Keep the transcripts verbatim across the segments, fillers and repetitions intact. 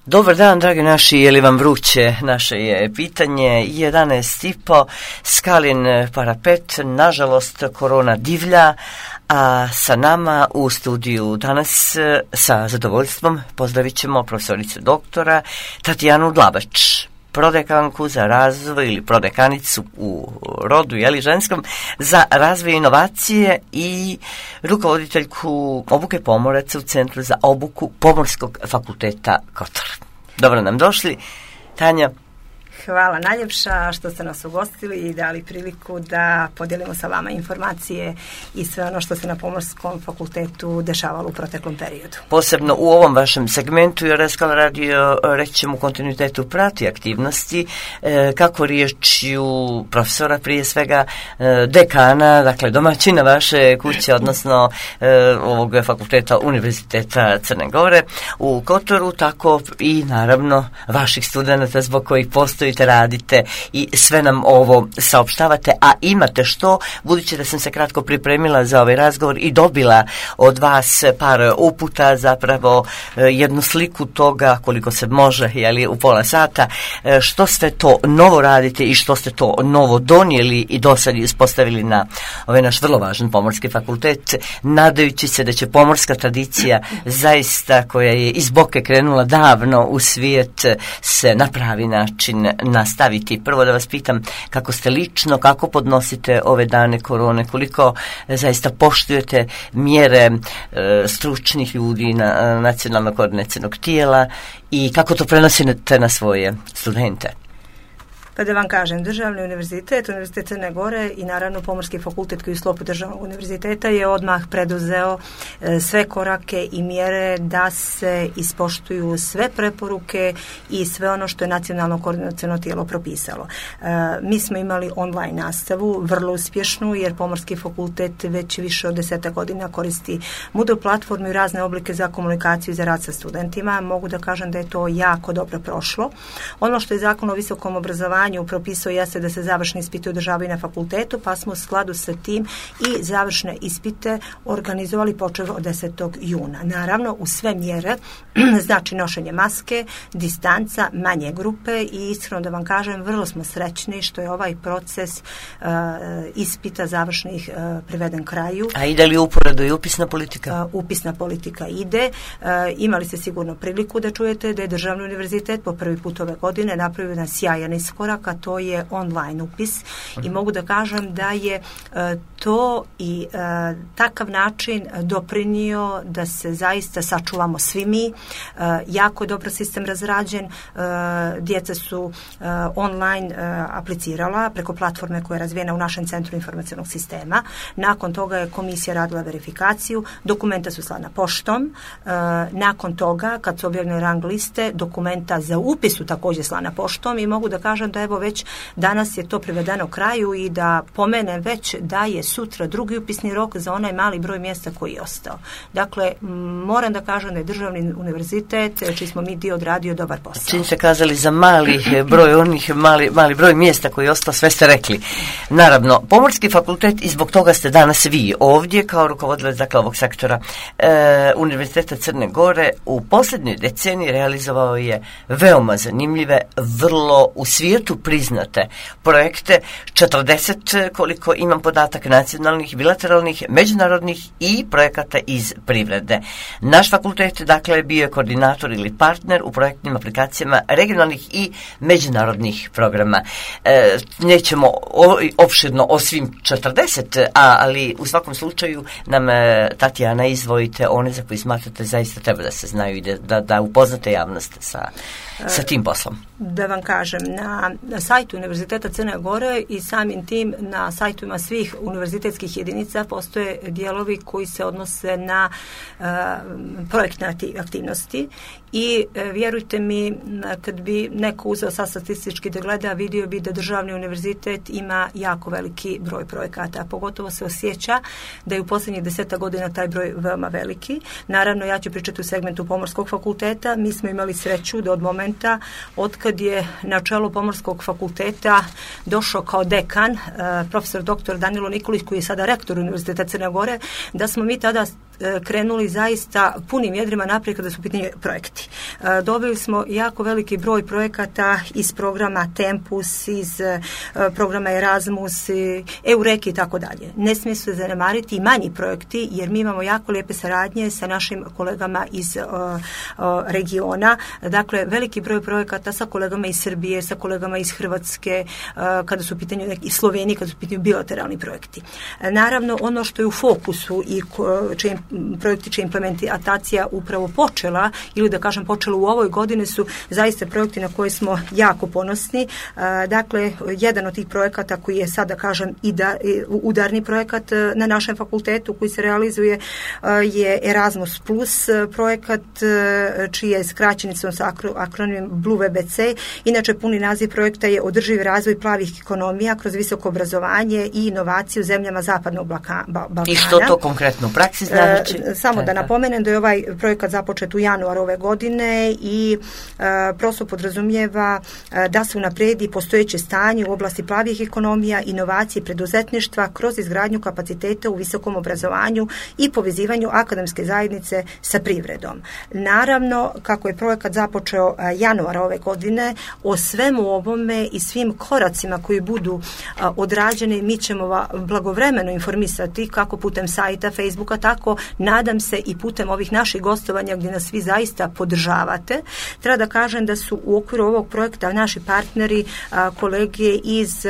Dobar dan, dragi naši, je li vam vruće? Naše je pitanje jedanaest i po, Skalin parapet, nažalost korona divlja, a sa nama u studiju danas sa zadovoljstvom pozdravit ćemo profesoricu doktora Tatjanu Dlabač, prodekanku za razvoj ili prodekanicu u rodu, jeli ženskom, za razvoj inovacije i rukovoditeljku obuke pomoraca u Centru za obuku Pomorskog fakulteta Kotor. Dobro nam došli, Tanja. Hvala najljepša što ste nas ugostili i dali priliku da podijelimo sa vama informacije i sve ono što se na Pomorskom fakultetu dešavalo u proteklom periodu. Posebno u ovom vašem segmentu, jer Skala radio, reći ćemo, u kontinuitetu prati aktivnosti, e, kako riječju profesora, prije svega e, dekana, dakle domaćina vaše kuće, odnosno e, ovog fakulteta Univerziteta Crne Gore u Kotoru, tako i naravno vaših studenata zbog kojih postoji radite i sve nam ovo saopštavate, a imate što, budući da sam se kratko pripremila za ovaj razgovor i dobila od vas par uputa, zapravo jednu sliku toga koliko se može, jeli, u pola sata, što sve to novo radite i što ste to novo donijeli i do sad ispostavili na ovaj naš vrlo važan Pomorski fakultet, nadajući se da će pomorska tradicija zaista, koja je iz boke krenula davno u svijet, se na pravi način nastaviti. Prvo da vas pitam kako ste lično, kako podnosite ove dane korone, koliko zaista poštujete mjere e, stručnih ljudi na nacionalnog koordinacionog tijela i kako to prenosite na svoje studente? Pa da vam kažem, Državni univerzitet, Univerzitet Crne Gore i naravno Pomorski fakultet koji u sklopu Državnog univerziteta je odmah preduzeo e, sve korake i mjere da se ispoštuju sve preporuke i sve ono što je nacionalno koordinaciono tijelo propisalo. E, mi smo imali online nastavu, vrlo uspješnu, jer Pomorski fakultet već više od deseta godina koristi Moodle platformu i razne oblike za komunikaciju i za rad sa studentima. Mogu da kažem da je to jako dobro prošlo. Ono što je Zakon o visokom obrazovanju propisao jeste da se završni ispiti održavaju na fakultetu, pa smo u skladu sa tim i završne ispite organizovali počev od desetog juna. Naravno, u sve mjere, znači nošenje maske, distanca, manje grupe i iskreno da vam kažem, vrlo smo srećni što je ovaj proces uh, ispita završnih uh, priveden kraju. A ide li uporedo i upisna politika? Uh, upisna politika ide. Uh, imali ste sigurno priliku da čujete da je Državni univerzitet po prvi put ove godine napravio jedan sjajan iskorak, a to je online upis i mogu da kažem da je uh, to i uh, takav način doprinio da se zaista sačuvamo svi mi. Uh, jako dobro sistem razrađen, uh, djeca su uh, online uh, aplicirala preko platforme koja je razvijena u našem Centru informacionog sistema. Nakon toga je komisija radila verifikaciju, dokumenta su slana poštom, uh, nakon toga kad su objavljene rang liste, dokumenta za upis su također slana poštom i mogu da kažem da evo već danas je to privedeno kraju i da pomene već da je sutra drugi upisni rok za onaj mali broj mjesta koji je ostao. Dakle, moram da kažem da je Državni univerzitet, čiji smo mi dio, odradio dobar posao. Čim ste kazali za mali broj onih mali, mali broj mjesta koji je ostao, sve ste rekli. Naravno, Pomorski fakultet, i zbog toga ste danas vi ovdje kao rukovodilac, dakle, ovog sektora e, Univerziteta Crne Gore, u posljednjoj deceniji realizovao je veoma zanimljive, vrlo u svijetu priznate projekte, četrdeset koliko imam podatak, nacionalnih, bilateralnih, međunarodnih i projekata iz privrede. Naš fakultet, dakle, bio je koordinator ili partner u projektnim aplikacijama regionalnih i međunarodnih programa. E, nećemo o, opširno o svim četrdeset, a, ali u svakom slučaju nam, e, Tatjana, izvojite one za koji smatrate zaista treba da se znaju i da, da, da upoznate javnost sa, sa tim poslom. Da vam kažem, na, na sajtu Univerziteta Crne Gore i samim tim na sajtovima svih univerzitetskih jedinica postoje dijelovi koji se odnose na uh, projektne aktivnosti i uh, vjerujte mi, kad bi neko uzeo sad statistički da gleda, vidio bi da Državni univerzitet ima jako veliki broj projekata, a pogotovo se osjeća da je u posljednjih deseta godina taj broj veoma veliki. Naravno, ja ću pričati u segmentu Pomorskog fakulteta. Mi smo imali sreću da od momenta od kad je na čelu Pomorskog fakulteta došao kao dekan uh, profesor doktor Danilo Nikolić, koji je sada rektor Univerziteta Crne Gore, da smo mi tada krenuli zaista punim jedrima naprijed kada su u pitanju projekti. Dobili smo jako veliki broj projekata iz programa Tempus, iz programa Erasmus, Eureki i tako dalje. Ne smije se zanemariti i manji projekti, jer mi imamo jako lijepe saradnje sa našim kolegama iz uh, uh, regiona. Dakle, veliki broj projekata sa kolegama iz Srbije, sa kolegama iz Hrvatske, uh, kada su u pitanju neki, iz Slovenije, kada su u pitanju bilateralni projekti. Naravno, ono što je u fokusu i čije projekti čija implementacija upravo počela, ili da kažem počela u ovoj godini, su zaista projekti na koje smo jako ponosni. Uh, dakle, jedan od tih projekata koji je sad, da kažem, i da, udarni projekat na našem fakultetu koji se realizuje je Erasmus Plus projekat, čija je skraćenicom sa akronimom Blue V B C. Inače, puni naziv projekta je održivi razvoj plavih ekonomija kroz visoko obrazovanje i inovaciju u zemljama Zapadnog Balkana. I što to konkretno u praksi znači? E, samo da napomenem da je ovaj projekat započet u januaru ove godine i e, prosto podrazumijeva e, da se unapredi postojeće stanje u oblasti plavih ekonomija, inovacije, preduzetništva kroz izgradnju kapaciteta u visokom obrazovanju i povezivanju akademske zajednice sa privredom. Naravno, kako je projekat započeo januara ove godine, o svemu ovome i svim koracima koji budu odrađeni, mi ćemo blagovremeno informisati kako putem sajta, Facebooka, tako nadam se i putem ovih naših gostovanja gdje nas svi zaista podržavate. Treba da kažem da su u okviru ovog projekta naši partneri, kolege iz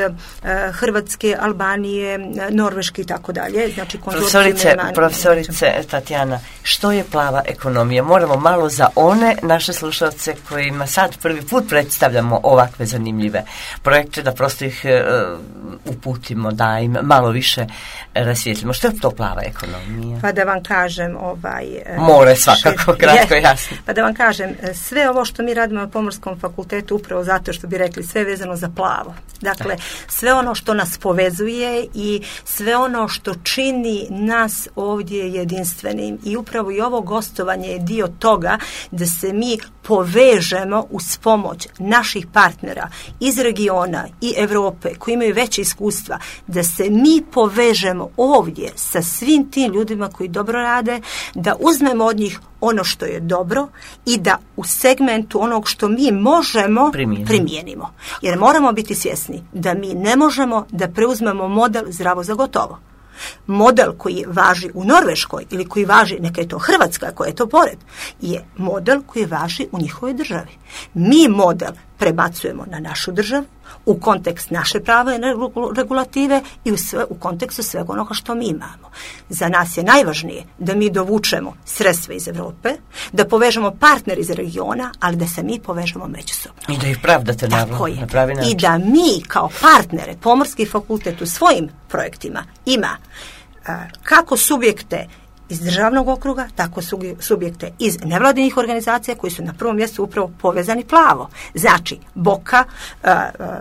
Hrvatske, Albanije, Norveške i tako dalje. Znači, profesorice, profesorice Tatjana, što je plava ekonomija? Moramo malo za one naše slušalce kojima sad prvi put predstavljamo ovakve zanimljive projekte, da prosto ih uh, uputimo, da im malo više rasvijetlimo. Što je to plava ekonomija? Pa da vam kažem, ovaj... More svakako, kratko i jasno. Pa da vam kažem, sve ovo što mi radimo na Pomorskom fakultetu, upravo zato što bi rekli, sve vezano za plavo. Dakle, sve ono što nas povezuje i sve ono što čini nas ovdje jedinstvenim, i upravo i ovo gostovanje je dio toga da se mi povežemo uz pomoć naših partnera iz regiona i Europe koji imaju veće iskustva, da se mi povežemo ovdje sa svim tim ljudima koji dobro rade, da uzmemo od njih ono što je dobro i da u segmentu onog što mi možemo primijenimo. primijenimo. Jer moramo biti svjesni da mi ne možemo da preuzmemo model zdravo za gotovo. Model koji važi u Norveškoj ili koji važi, neka je to Hrvatska koja je to pored, je model koji važi u njihovoj državi. Mi model prebacujemo na našu državu u kontekst naše prave regulative i u, sve, u kontekstu svega onoga što mi imamo. Za nas je najvažnije da mi dovučemo sredstva iz Europe, da povežemo partner iz regiona, ali da se mi povežemo međusobno. I da ih pravdate na, na pravi način. I da mi kao partnere, Pomorski fakultet u svojim projektima ima a, kako subjekte iz državnog okruga, tako subjekte iz nevladinih organizacija koji su na prvom mjestu upravo povezani plavo. Znači, Boka,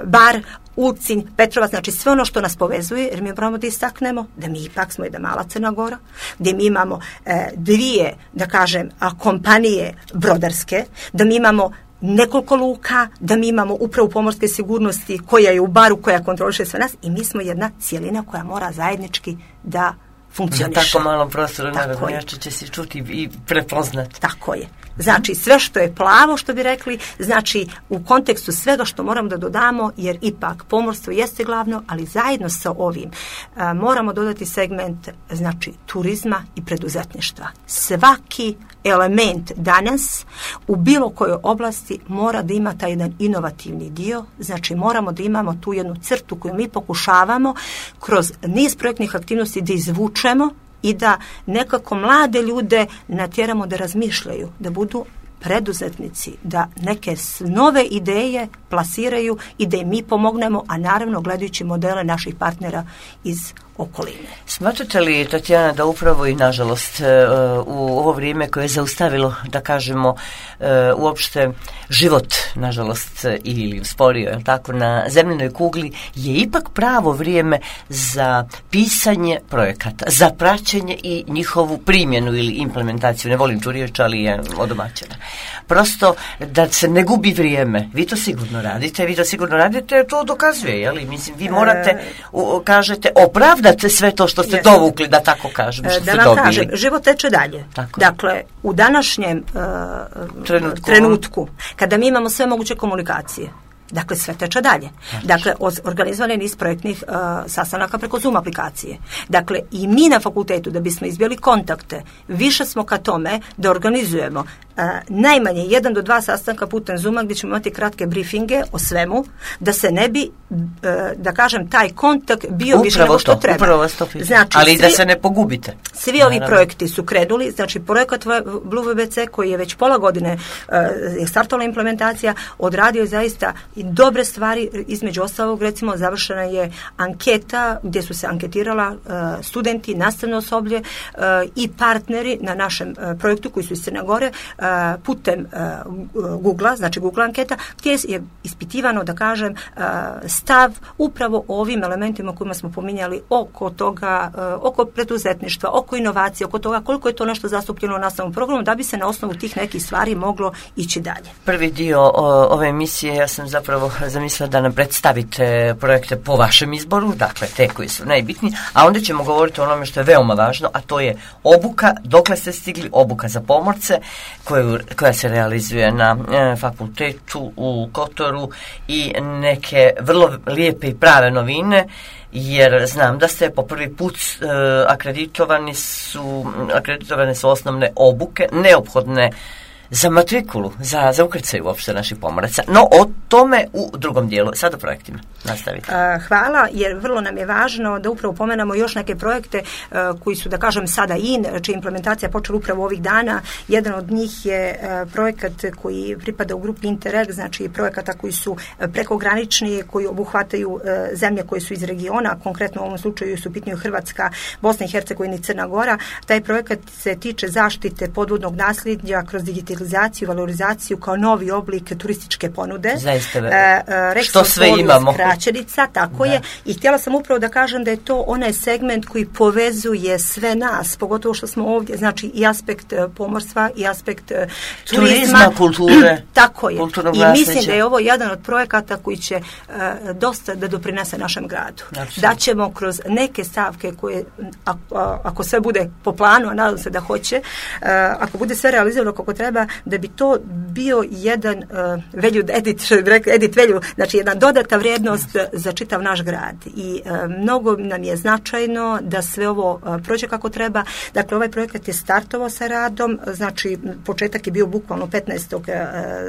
Bar, Ulcinj, Petrovac, znači sve ono što nas povezuje, jer mi moramo da istaknemo da mi ipak smo jedna mala Crna Gora, gdje mi imamo e, dvije, da kažem, kompanije brodarske, da mi imamo nekoliko luka, da mi imamo upravu pomorske sigurnosti koja je u Baru, koja kontroliše sve nas, i mi smo jedna cijelina koja mora zajednički da funkcioniše. Na tako malom prostoru naravno jače će se čuti i prepoznati. Tako je. Znači, sve što je plavo, što bi rekli, znači u kontekstu svega što moramo da dodamo, jer ipak pomorstvo jeste glavno, ali zajedno sa ovim a, moramo dodati segment, znači, turizma i preduzetništva. Svaki element danas u bilo kojoj oblasti mora da ima taj jedan inovativni dio, znači moramo da imamo tu jednu crtu koju mi pokušavamo kroz niz projektnih aktivnosti da izvučemo i da nekako mlade ljude natjeramo da razmišljaju, da budu preduzetnici, da neke nove ideje plasiraju i da im mi pomognemo, a naravno gledajući modele naših partnera iz okoline. Smatrate li, Tatjana, da upravo i nažalost u ovo vrijeme koje je zaustavilo, da kažemo, uopšte život, nažalost, ili usporio, je tako, na zemljenoj kugli, je ipak pravo vrijeme za pisanje projekata, za praćenje i njihovu primjenu ili implementaciju, ne volim tu riječ, ali je odomaćena. Prosto da se ne gubi vrijeme. Vi to sigurno radite, vi to sigurno radite, to dokazuje, je li? Mislim, vi morate, u, kažete, opravdati opravdate sve to što ste Yes. dovukli, da tako kažem, što Da ste vam dobili. kažem, život teče dalje. Tako. Dakle, u današnjem uh, Trenutku. trenutku, kada mi imamo sve moguće komunikacije, dakle, sve teče dalje. Dakle, organizovan je niz projektnih uh, sastanaka preko Zoom aplikacije. Dakle, i mi na fakultetu, da bismo izbjeli kontakte, više smo ka tome da organizujemo uh, najmanje jedan do dva sastanka putem Zooma gdje ćemo imati kratke briefinge o svemu, da se ne bi, uh, da kažem, taj kontakt bio Upravo više nego što to, treba. Upravo vas to pitam. Znači, ali svi, da se ne pogubite. Svi Naravno. ovi projekti su krenuli, znači projekat Blue V B C koji je već pola godine uh, je startala implementacija, odradio je zaista i dobre stvari, između ostalog recimo završena je anketa gdje su se anketirala uh, studenti, nastavno osoblje uh, i partneri na našem uh, projektu koji su iz Crne Gore uh, putem uh, Google-a, znači Google anketa, gdje je ispitivano, da kažem, uh, stav upravo o ovim elementima kojima smo pominjali oko toga, uh, oko preduzetništva, oko inovacije, oko toga koliko je to nešto zastupljeno u nastavnom programu, da bi se na osnovu tih nekih stvari moglo ići dalje. Prvi dio o, ove emisije ja sam zapravo zamislila da nam predstavite projekte po vašem izboru, dakle te koji su najbitniji, a onda ćemo govoriti o onome što je veoma važno, a to je obuka, dokle ste stigli, obuka za pomorce koju, koja se realizuje na e, fakultetu u Kotoru i neke vrlo lijepe i prave novine, jer znam da ste po prvi put e, akreditovani su, akreditovane su osnovne obuke neophodne za matrikulu, za, za ukrcaj uopšte naših pomoraca. No, o tome u drugom dijelu. Sad o projektima. Nastavite. Hvala, jer vrlo nam je važno da upravo pomenamo još neke projekte uh, koji su, da kažem, sada in, čija implementacija počela upravo ovih dana. Jedan od njih je uh, projekat koji pripada u grupi Interreg, znači projekata koji su prekogranični, koji obuhvataju uh, zemlje koje su iz regiona, konkretno u ovom slučaju su pitanje Hrvatska, Bosna i Hercegovina i Crna Gora. Taj projekat se tiče zaštite podvodnog nasljeđa kroz digitalizaciju, valorizaciju kao novi oblik turističke ponude. Zaista, uh, što sve imamo. Kraćenica, tako da. je. I htjela sam upravo da kažem da je to onaj segment koji povezuje sve nas, pogotovo što smo ovdje, znači i aspekt pomorstva i aspekt uh, turizma. Turizma, kulture. Tako je. Kulturnog I nasljeđa. mislim da je ovo jedan od projekata koji će uh, dosta da doprinese našem gradu. Absolutno. Da ćemo kroz neke stavke koje, a, a, ako sve bude po planu, a nadam se da hoće, uh, ako bude sve realizirano kako treba, da bi to bio jedan uh, value edit, što bi rekli, edit value, znači jedna dodata vrijednost za čitav naš grad. I uh, mnogo nam je značajno da sve ovo uh, prođe kako treba. Dakle, ovaj projekat je startovao sa radom, znači početak je bio bukvalno petnaestog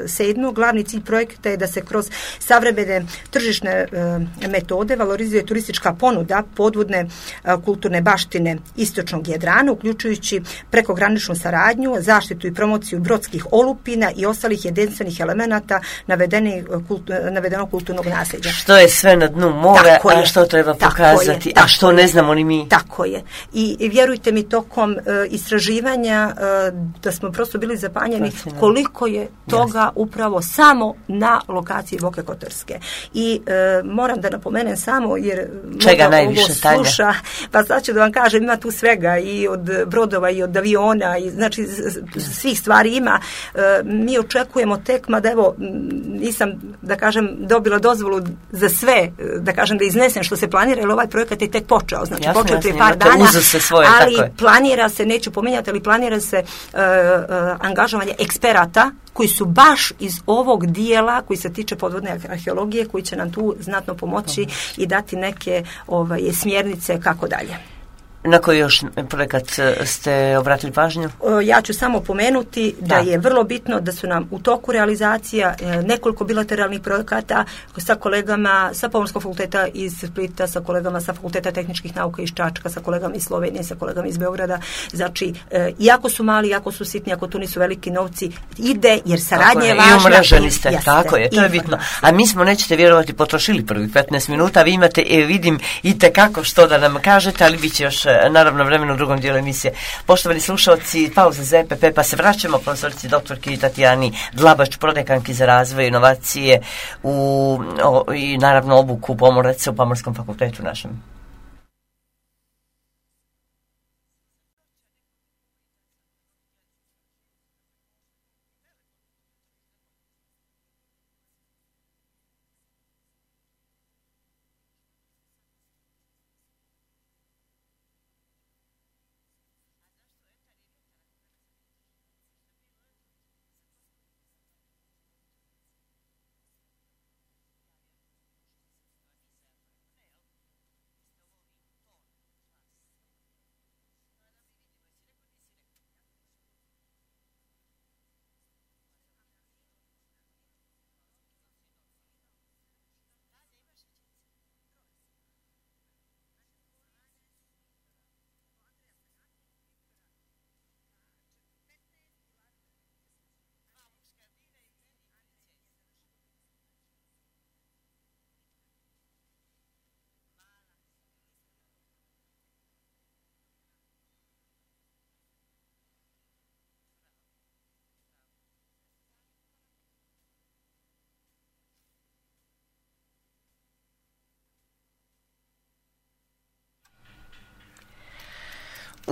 sedmog Glavni cilj projekta je da se kroz savremene tržišne uh, metode valorizuje turistička ponuda podvodne uh, kulturne baštine istočnog Jadrana, uključujući prekograničnu saradnju, zaštitu i promociju brodskih olupina i ostalih jedinstvenih elemenata navedenog kulturnog nasljeđa. Što je sve na dnu mora, a što treba pokazati, je, a što ne znamo ni mi. Tako je. I, i vjerujte mi, tokom uh, istraživanja uh, da smo prosto bili zapanjeni Fascinant. koliko je toga Jasne. upravo samo na lokaciji Boke Kotorske. I uh, moram da napomenem samo, jer Čega najviše, ovo sluša, pa sad ću da vam kažem, ima tu svega i od brodova i od aviona, i znači svih stvari ima. Uh, mi očekujemo tek, mada evo, nisam, da kažem, dobila dozvolu za sve, da kažem, da iznesem što se planira, jer ovaj projekat je tek počeo, znači jasne, počeo je par dana, svoje, ali planira se, neću pominjati, ali planira se uh, uh, angažovanje eksperata koji su baš iz ovog dijela koji se tiče podvodne arheologije, koji će nam tu znatno pomoći i dati neke ovaj, smjernice kako dalje. Na koji još projekat ste obratili pažnju? Ja ću samo pomenuti da, da je vrlo bitno da su nam u toku realizacija nekoliko bilateralnih projekata sa kolegama sa Pomorskog fakulteta iz Splita, sa kolegama sa Fakulteta tehničkih nauka iz Čačka, sa kolegama iz Slovenije, sa kolegama iz Beograda. Znači, iako su mali, iako su sitni, ako to nisu veliki novci, ide jer saradnja je važna. I umreženi ste, jeste, tako je, to je bitno. A mi smo, nećete vjerovati, potrošili prvih petnaest minuta, vi imate, e, vidim, i tekako što da nam kažete, ali bit će još naravno vremenu u drugom dijelu emisije. Poštovani slušalci, pauza za E P P, pa se vraćamo profesorici doktorki Tatjani Dlabač, prodekanki za razvoj inovacije u, o, i naravno obuku pomoraca u Pomorskom fakultetu našem.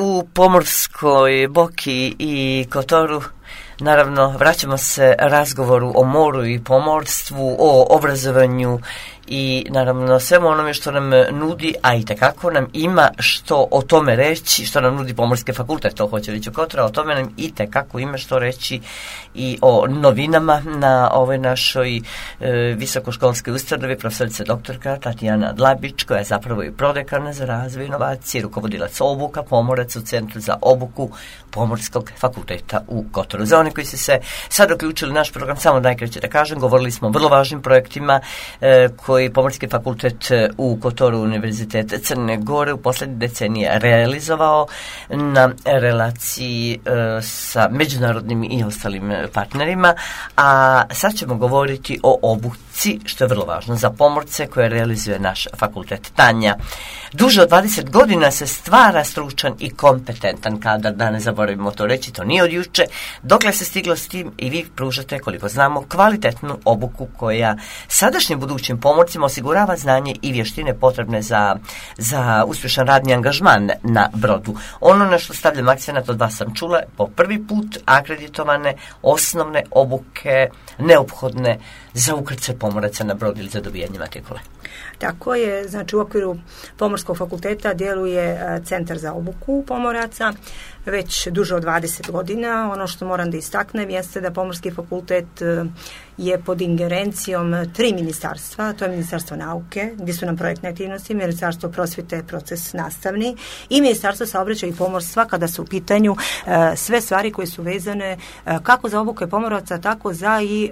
u Pomorskoj, Boki i Kotoru naravno vraćamo se razgovoru o moru i pomorstvu, o obrazovanju i naravno svemu onome što nam nudi, a i tekako nam ima što o tome reći, što nam nudi Pomorski fakultet, to hoće reći u Kotora, o tome nam i tekako ima što reći i o novinama na ovoj našoj e, visokoškolskoj ustanovi, profesorica doktorka Tatjana Dlabić, koja je zapravo i prodekana za razvoj inovacije, rukovodilac obuka, pomorac u Centru za obuku Pomorskog fakulteta u Kotoru. Za one koji su se sad uključili naš program, samo najkraće da kažem, govorili smo o vrlo važnim projektima e, koji Pomorski fakultet u Kotoru Univerziteta Crne Gore u posljednje decenije realizovao na relaciji e, sa međunarodnim i ostalim partnerima, a sad ćemo govoriti o obuci, što je vrlo važno za pomorce koje realizuje naš fakultet. Tanja, duže od dvadeset godina se stvara stručan i kompetentan kadar, da ne zaboravimo to reći, to nije od juče, dokle se stiglo s tim i vi pružate, koliko znamo, kvalitetnu obuku koja sadašnjim budućim pomorcima osigurava znanje i vještine potrebne za, za uspješan radni angažman na brodu. Ono na što stavljam akcenat od vas sam čula, po prvi put akreditovane osnovne obuke neophodne za ukrcaj pomoraca na brod ili za dobijanje matrikule. Tako je, znači u okviru Pomorskog fakulteta djeluje Centar za obuku pomoraca već duže od dvadeset godina. Ono što moram da istaknem jeste da Pomorski fakultet je pod ingerencijom tri ministarstva, to je Ministarstvo nauke, gdje su nam projektne aktivnosti, Ministarstvo prosvjete, proces nastavni i Ministarstvo saobraćaja i pomorstva kada su u pitanju e, sve stvari koje su vezane e, kako za obuke pomoraca, tako za i e,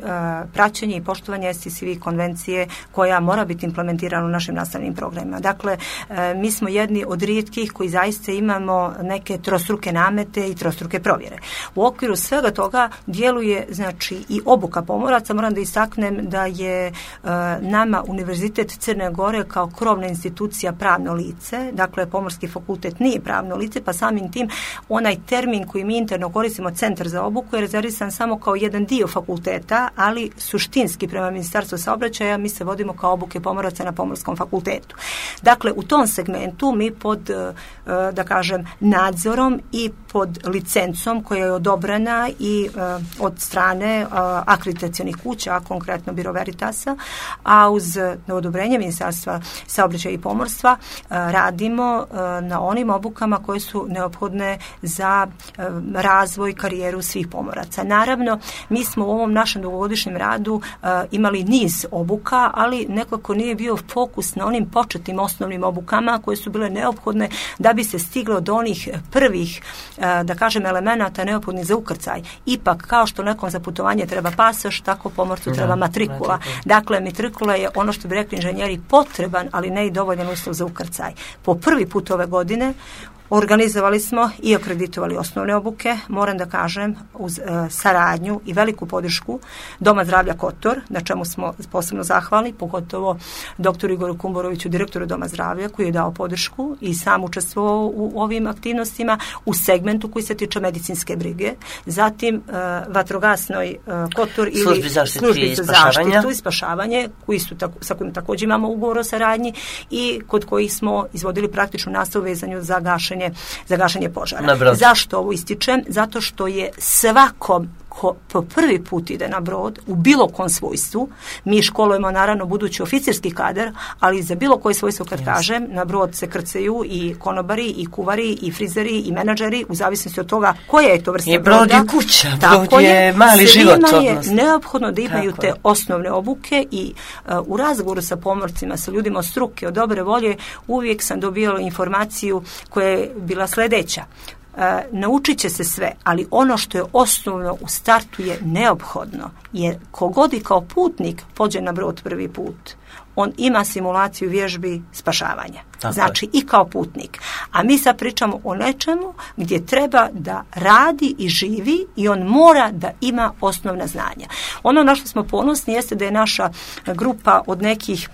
praćenje i poštovanje S T C V konvencije koja mora biti implementirana u našim nastavnim programima. Dakle, e, mi smo jedni od rijetkih koji zaista imamo neke trostruke namete i trostruke provjere. U okviru svega toga djeluje znači i obuka pomoraca. Moram da istaknem da je e, nama Univerzitet Crne Gore kao krovna institucija pravno lice, dakle Pomorski fakultet nije pravno lice, pa samim tim onaj termin koji mi interno koristimo, Centar za obuku, je rezervisan samo kao jedan dio fakulteta, ali suštinski prema Ministarstvu saobraćaja mi se vodimo kao obuke pomoraca na Pomorskom fakultetu. Dakle, u tom segmentu mi pod, e, da kažem, nadzorom i pod licencom koja je odobrena i e, od strane e, akreditacionih kuća, a konkretno Biro Veritasa, a uz odobrenje Ministarstva saobraćaja i pomorstva radimo na onim obukama koje su neophodne za razvoj, karijeru svih pomoraca. Naravno, mi smo u ovom našem dugogodišnjem radu imali niz obuka, ali nekako nije bio fokus na onim početnim osnovnim obukama koje su bile neophodne da bi se stiglo do onih prvih, da kažem, elemenata neophodnih za ukrcaj. Ipak, kao što nekom za putovanje treba pasoš, tako pomorcu treba matrikula. Dakle, matrikula je ono što bi rekli inženjeri potreban, ali ne i dovoljan uslov za ukrcaj. Po prvi put ove godine organizovali smo i akreditovali osnovne obuke, moram da kažem, uz e, saradnju i veliku podršku Doma zdravlja Kotor, na čemu smo posebno zahvalni, pogotovo doktoru Igoru Kumboroviću, direktoru Doma zdravlja, koji je dao podršku i sam učestvovao u ovim aktivnostima u segmentu koji se tiče medicinske brige. Zatim e, vatrogasnoj e, Kotor ili službi za zaštitu i spašavanje, koji su tako, sa kojim također imamo ugovor o saradnji i kod kojih smo izvodili praktičnu nastavu vezanju za gašenje za gašenje požara. Zašto ovo ističem? Zato što je svakom ko po prvi put ide na brod u bilo kom svojstvu, mi školujemo naravno budući oficirski kadar, ali za bilo koje svojstvo kad yes. kažem, na brod se krcaju i konobari, i kuvari, i frizeri, i menadžeri, u zavisnosti od toga koja je to vrsta broda. I brod je kuća, brod je, je mali život. Svima je neophodno da imaju Tako te je. osnovne obuke i uh, u razgovoru sa pomorcima, sa ljudima od struke, od dobre volje, uvijek sam dobijala informaciju koja je bila sljedeća. Uh, naučit će se sve, ali ono što je osnovno u startu je neophodno, jer kogod i kao putnik pođe na brod prvi put, on ima simulaciju vježbi spašavanja. Tako znači je. I kao putnik. A mi sad pričamo o nečemu gdje treba da radi i živi i on mora da ima osnovna znanja. Ono na što smo ponosni jeste da je naša grupa od nekih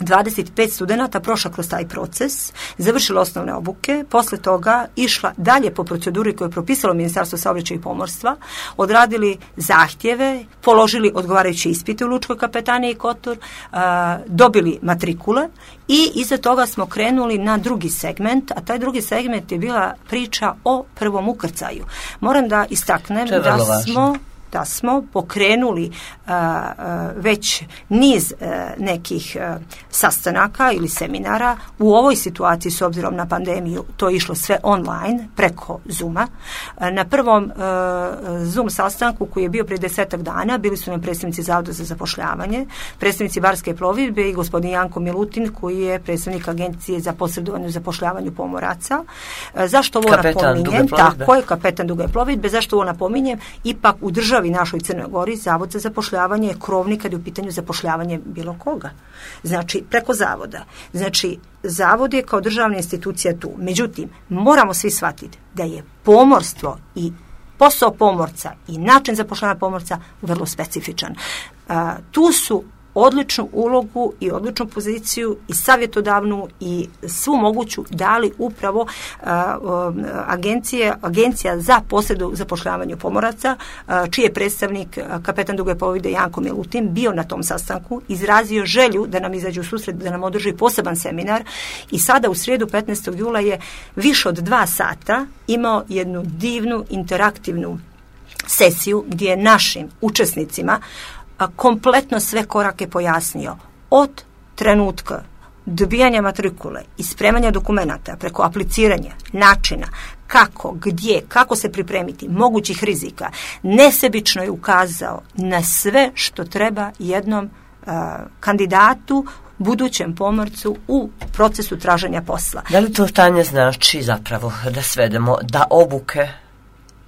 dvadeset pet studenata prošla kroz taj proces, završila osnovne obuke, posle toga išla dalje po proceduri koju je propisalo Ministarstvo saobraćaja i pomorstva, odradili zahtjeve, položili odgovarajuće ispite u Lučkoj kapetaniji Kotor, a, dobili matrikule i iza toga smo krenuli na drugi segment, a taj drugi segment je bila priča o prvom ukrcaju. Moram da istaknem da smo... da smo pokrenuli a, a, već niz a, nekih a, sastanaka ili seminara. U ovoj situaciji, s obzirom na pandemiju, to je išlo sve online, preko Zooma. A, na prvom a, Zoom sastanku koji je bio prije desetak dana bili su nam predstavnici Zavoda za zapošljavanje, predstavnici Barske plovidbe i gospodin Janko Milutin koji je predstavnik Agencije za posredovanje u zapošljavanju pomoraca. A, zašto ovo napominjem? Tako je, kapetan duge plovidbe. Zašto ovo napominjem? Ipak u državi našoj Crnoj Gori Zavod za zapošljavanje je krovni kad je u pitanju zapošljavanje bilo koga. Znači, preko zavoda. Znači, zavod je kao državna institucija tu. Međutim, moramo svi shvatiti da je pomorstvo i posao pomorca i način zapošljavanja pomorca vrlo specifičan. A, tu su odličnu ulogu i odličnu poziciju i savjetodavnu i svu moguću dali upravo a, a, agencije, agencija za posredu zapošljavanju pomoraca, a, čiji je predstavnik a, kapetan duge plovidbe Janko Milutin bio na tom sastanku, izrazio želju da nam izađu u susret, da nam održi poseban seminar i sada u srijedu petnaestog jula je više od dva sata imao jednu divnu interaktivnu sesiju gdje je našim učesnicima kompletno sve korake pojasnio od trenutka dobijanja matrikule i spremanja dokumenata preko apliciranja, načina, kako, gdje, kako se pripremiti, mogućih rizika. Nesebično je ukazao na sve što treba jednom uh, kandidatu, budućem pomorcu u procesu traženja posla. Da li to, Tanja, znači zapravo da svedemo da obuke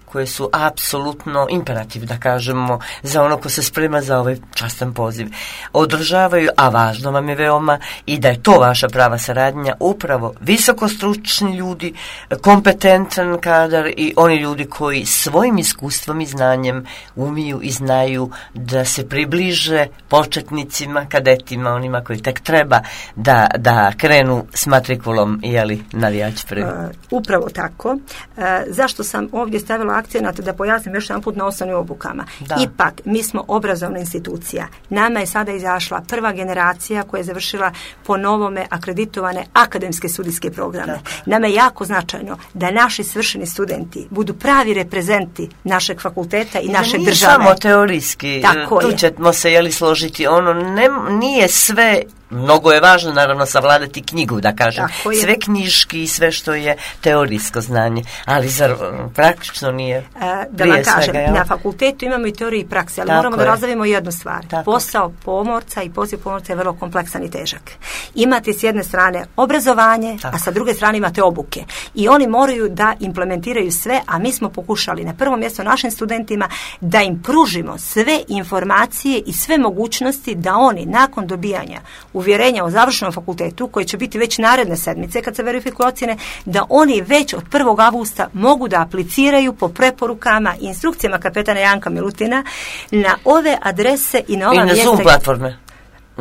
koje su apsolutno imperativ, da kažemo, za ono ko se sprema za ovaj častan poziv, održavaju, a važno vam je veoma i da je to vaša prava saradnja, upravo visokostručni ljudi, kompetentan kadar i oni ljudi koji svojim iskustvom i znanjem umiju i znaju da se približe početnicima, kadetima, onima koji tek treba da, da krenu s matrikulom, jeli, navijač prvi. Uh, upravo tako. Uh, zašto sam ovdje stavila akcenat da pojasnim još jedan put na osnovnim obukama. Da. Ipak, mi smo obrazovna institucija. Nama je sada izašla prva generacija koja je završila po novome akreditovane akademske studijske programe. Da. Nama je jako značajno da naši svršeni studenti budu pravi reprezenti našeg fakulteta i, I naše nije države. Samo teorijski. Tako tu je. ćemo se jeli složiti. Ono ne, nije sve. Mnogo je važno, naravno, savladati knjigu, da kažem. Sve knjiški i sve što je teorijsko znanje. Ali zar praktično nije e, Da vam kažem, svega, na fakultetu imamo i teoriju i prakse, ali tako moramo je. Da razvijemo jednu stvar. Tako. Posao pomorca i poziv pomorca je vrlo kompleksan i težak. Imate s jedne strane obrazovanje, tako. A sa druge strane imate obuke. I oni moraju da implementiraju sve, a mi smo pokušali na prvom mjestu našim studentima da im pružimo sve informacije i sve mogućnosti da oni nakon dobijanja uvjerenja o završenom fakultetu, koji će biti već naredne sedmice kad se verifikuju ocjene, da oni već od prvog avgusta mogu da apliciraju po preporukama i instrukcijama kapetana Janka Milutina na ove adrese i na ova I na mjesta. Zoom platforme.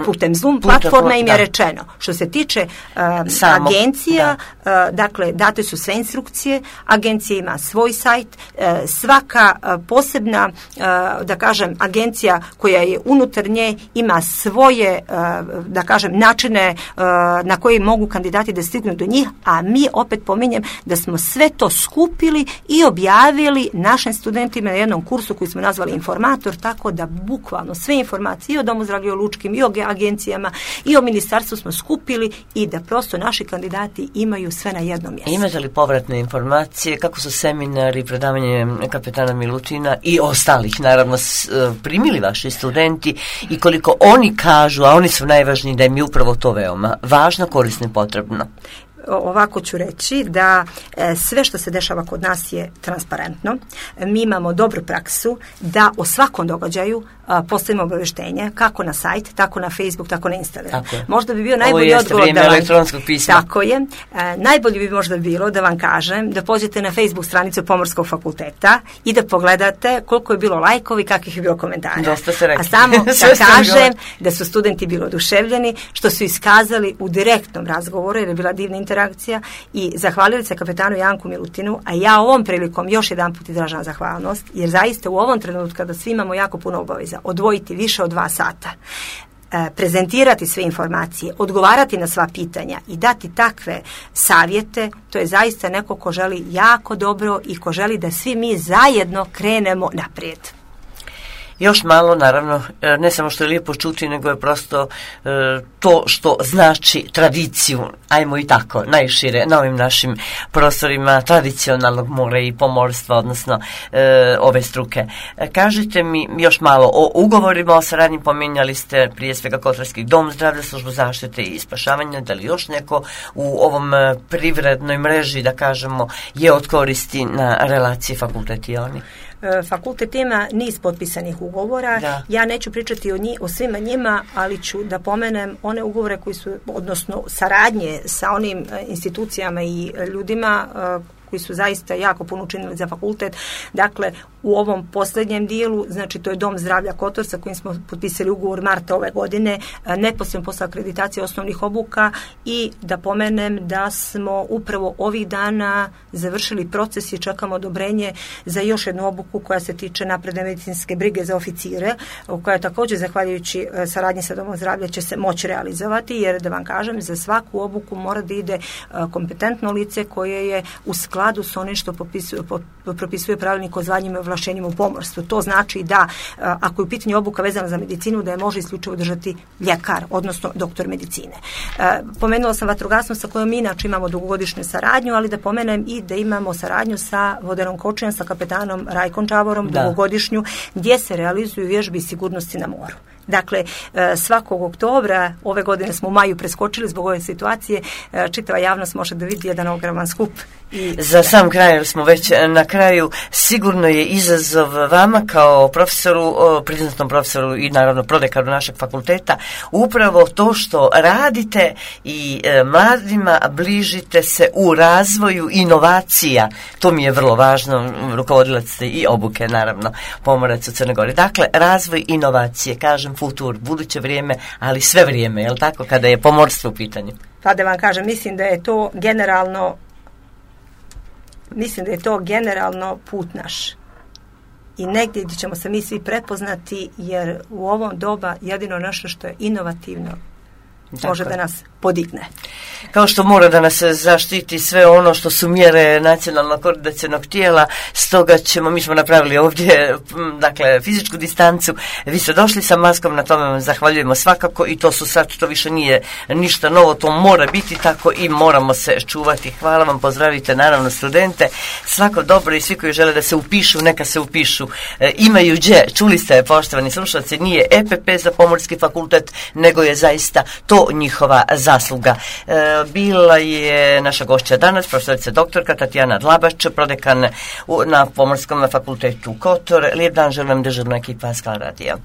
Putem Zoom Putem, platforme im je da. rečeno. Što se tiče uh, Samo, agencija, da. uh, dakle, date su sve instrukcije, agencija ima svoj sajt, uh, svaka uh, posebna, uh, da kažem, agencija koja je unutar nje ima svoje, uh, da kažem, načine uh, na koji mogu kandidati da stignu do njih, a mi opet pominjem da smo sve to skupili i objavili našim studentima na jednom kursu koji smo nazvali Informator, tako da bukvalno sve informacije i o Domu zdravlja, o lučkim i o agencijama i o ministarstvu smo skupili i da prosto naši kandidati imaju sve na jednom mjestu. Imate li povratne informacije kako su seminari, predavanje kapetana Milutina i ostalih naravno primili vaši studenti i koliko oni kažu, a oni su najvažniji, da im je upravo to veoma važno, korisno i potrebno? Ovako ću reći da e, sve što se dešava kod nas je transparentno. Mi imamo dobru praksu da o svakom događaju e, a, postavimo obavještenje kako na sajt, tako na Facebook, tako na Instagram. Možda bi bio najbolji odgovor da vam, elektronskog pisma. Tako je. A, najbolje bi možda bilo da vam kažem da pođete na Facebook stranicu Pomorskog fakulteta i da pogledate koliko je bilo lajkovi, kakvih je bilo komentara. Dosta ste rekli. A samo da kažem da su studenti bili oduševljeni, što su iskazali u direktnom razgovoru, jer je bila divna interakcija, i zahvalili se kapetanu Janku Milutinu, a ja ovom prilikom još jedan put izražavam zahvalnost, jer zaista u ovom trenutku kada svi imamo jako puno obaveza, odvojiti više od dva sata, prezentirati sve informacije, odgovarati na sva pitanja i dati takve savjete, to je zaista neko ko želi jako dobro i ko želi da svi mi zajedno krenemo naprijed. Još malo, naravno, ne samo što je lijepo čuti, nego je prosto e, to što znači tradiciju, ajmo i tako, najšire, na ovim našim prostorima tradicionalnog mora i pomorstva, odnosno e, ove struke. E, kažite mi još malo o ugovorima o saradnji, pominjali ste prije svega Kotarski dom zdravlja, službu zaštite i spašavanja, da li još neko u ovom privrednoj mreži, da kažemo, je od koristi na relaciji fakultet i oni? Fakultet ima niz potpisanih ugovora. Da. Ja neću pričati o, njih, o svima njima, ali ću da pomenem one ugovore koji su, odnosno saradnje sa onim institucijama i ljudima koji su zaista jako puno učinili za fakultet. Dakle, u ovom posljednjem dijelu, znači to je Dom zdravlja Kotor sa kojim smo potpisali ugovor marta ove godine, neposredno posle akreditacije osnovnih obuka, i da pomenem da smo upravo ovih dana završili proces i čekamo odobrenje za još jednu obuku koja se tiče napredne medicinske brige za oficire, koja također zahvaljujući saradnji sa Domom zdravlja će se moći realizovati, jer da vam kažem, za svaku obuku mora da ide kompetentno lice koje je u skladu s onim što popisuje, propisuje pravilnik o zvanjima i ovlašćenjima u pomorstvu. To znači da ako je u pitanju obuka vezana za medicinu, da je može isključivo držati ljekar, odnosno doktor medicine. Pomenula sam vatrogasnost sa kojom mi inače imamo dugogodišnju saradnju, ali da pomenem i da imamo saradnju sa Vodenom Kočijom, sa kapetanom Rajkom Čavorom, da. dugogodišnju, gdje se realizuju vježbi sigurnosti na moru. Dakle, svakog oktobra, ove godine smo u maju preskočili zbog ove situacije, čitava javnost može da vidi jedan ogroman skup. I za sam kraj, jer smo već na kraju, sigurno je izazov vama kao profesoru, priznatom profesoru i naravno prodekaru našeg fakulteta, upravo to što radite i mladima bližite se u razvoju inovacija. To mi je vrlo važno, rukovodilac ste i obuke, naravno, pomorac u Crnoj Gori. Dakle, razvoj inovacije, kažem futur, buduće vrijeme, ali sve vrijeme, je li tako, kada je pomorstvo u pitanju? Pa da vam kažem, mislim da je to generalno mislim da je to generalno put naš. I negdje gdje ćemo se mi svi prepoznati, jer u ovom doba jedino nešto što je inovativno Tako. može da nas podigne. Kao što mora da nas zaštiti sve ono što su mjere nacionalnog koordinacionog tijela, stoga ćemo, mi smo napravili ovdje, dakle, fizičku distancu, vi ste došli sa maskom, na tome vam zahvaljujemo svakako, i to su sad, to više nije ništa novo, to mora biti tako i moramo se čuvati. Hvala vam, pozdravite naravno studente, svako dobro, i svi koji žele da se upišu, neka se upišu. E, imaju gdje, čuli ste, poštovani slušalci, nije E P P za Pomorski fakultet, nego je zaista to njihova zasluga. E, bila je naša gošća danas, profesorica doktorka Tatjana Dlabač, prodekan u, na Pomorskom fakultetu Kotor. Lijep dan želim državna ekipa Skala radija.